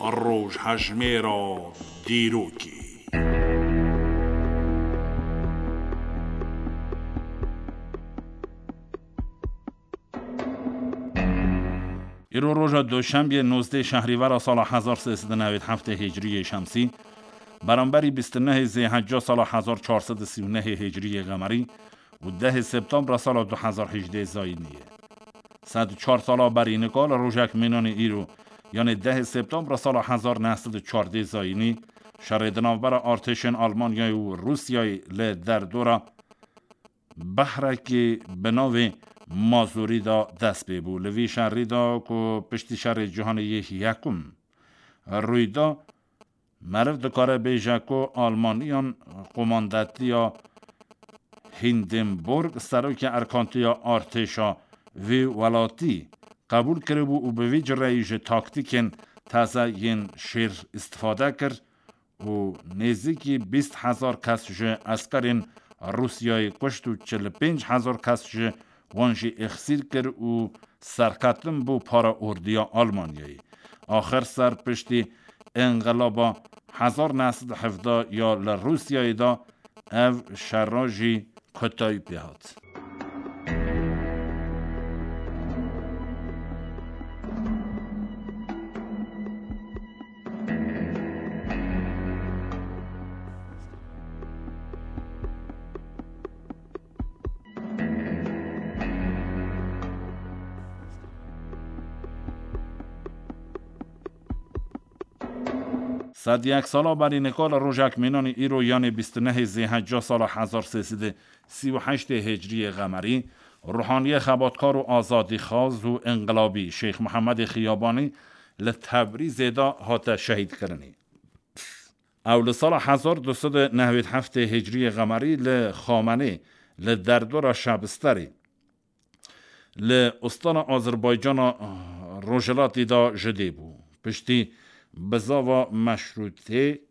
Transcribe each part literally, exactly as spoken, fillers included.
Rojhejmêra dîrokê. Îro roja Duşenbê nozdeh Şehrîvera sala hezar sê sed û newêd heftê Hicriyê Şemsî, beramberî bîst û nehê Zêhecca sala hezar çar sed û sî û nehê Hicriyê Qemerî û dehê Septembra sala du hezar hejdê Zayînî ye. Sed û çar sala berî nika li rojek mînanê îro, yanê dehê Septembra sala hezar neh sed û çardê Zayînî, şerê di navbera artêşên Almanyayê û Rûsyayê li derdora behrekê bi navê Mazûrî de dest pê bû. Li vî şerî de ku piştî şerê cîhanê yê yekum rûy da, meriv dikare bêje ku Almaniyan qomandetiya Hindenburg serokê erkantiya artêşa vî welatî qebûl kiribû û bi vî cireyî ji taktîkên teze yên şêr îstifade kir û nêzîkî bîst hezar kes ji eskerên Rûsyayê kuşt û çil û pênc hezar kes ji wan jî êxsîr kir û serketin bû para ordiya Almanyayê. Axir ser piştî înqilaba hezar neh sed û hevdeh ya li Rûsyayê de ev şera jî kotayî pê hat. Sed yek sala berî nika li rojek mînanî îro, yanê bîst û nehê Zêhecca sala hezar sê sed û sî û heştê Hicriyê Qemerî, ruhaniyê xebatkar û azadîxwaz û înqilabî Şêx Mihemedê Xiyabanî li Tebrîzê de hate şehîdkirinê. Ew li sala hezar du sed û nehwêd heftê Hicriyê Qemerî li Xamenê, li derdora Şebisterê, li ustana Azerbaycana Rojhilatî de ji dê bû. Piştî bizava meşrûtê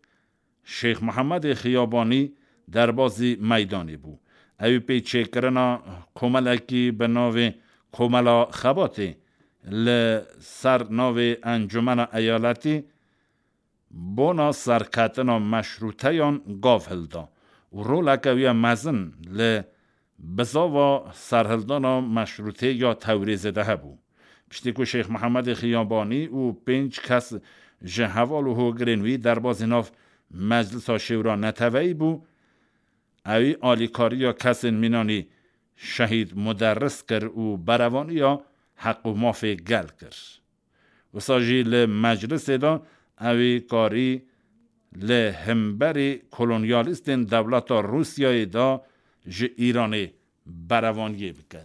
Şêx Mihemedê Xiyabanî derbazî meydanê bû. Ew ê pê çêkirina komelekî bi navê Komela Xebatê li ser navê Encumena Eyaletî bona serketina meşrûteyan gav hilda û roleke wî ya mezin li bizava serhildana meşrûtê ya Tewrêzê de hebû. Piştî ku Şêx Mihemedê Xiyabanî û pênc kes ji heval û hogirên wî derbazî nav Meclisa Şêwra Neteweyî bû, ewî alîkariya kesên mînanî şehîd muderris kir û berevaniya heq û mafê gel kir. Wisa jî li meclisê de ewî karî li himberî kolonyalîstên dewleta Rûsyayê de ji Îranê berevaniyê bike.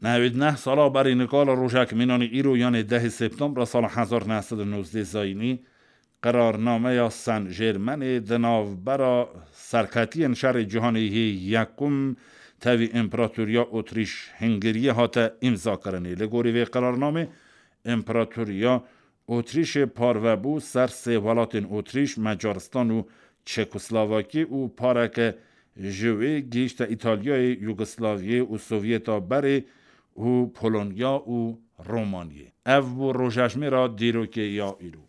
Nehwêd neh sala berî nika li rojek mînanî îro, yanê dehê Septembra sala hezar neh sed û nozdeh Zayînî, qirarnameya Sen Jêrmenê di navbera serketiyên şerê cîhanê yê yekum tevî Împaratoriya Otrîş Hingiriyê hate îmzakirinê. Li gorî vê qirarnamê Împaratoriya Otrîşê parve bû ser sê welatên Otrîş, Macaristan û Çekoslovakî û pareke ji wê gihîşte Îtalyayê, Yugoslaviyê û Sovyeta berê û Polonya û Romaniyê. Ev bû rojejmêra dîrokê ya îro.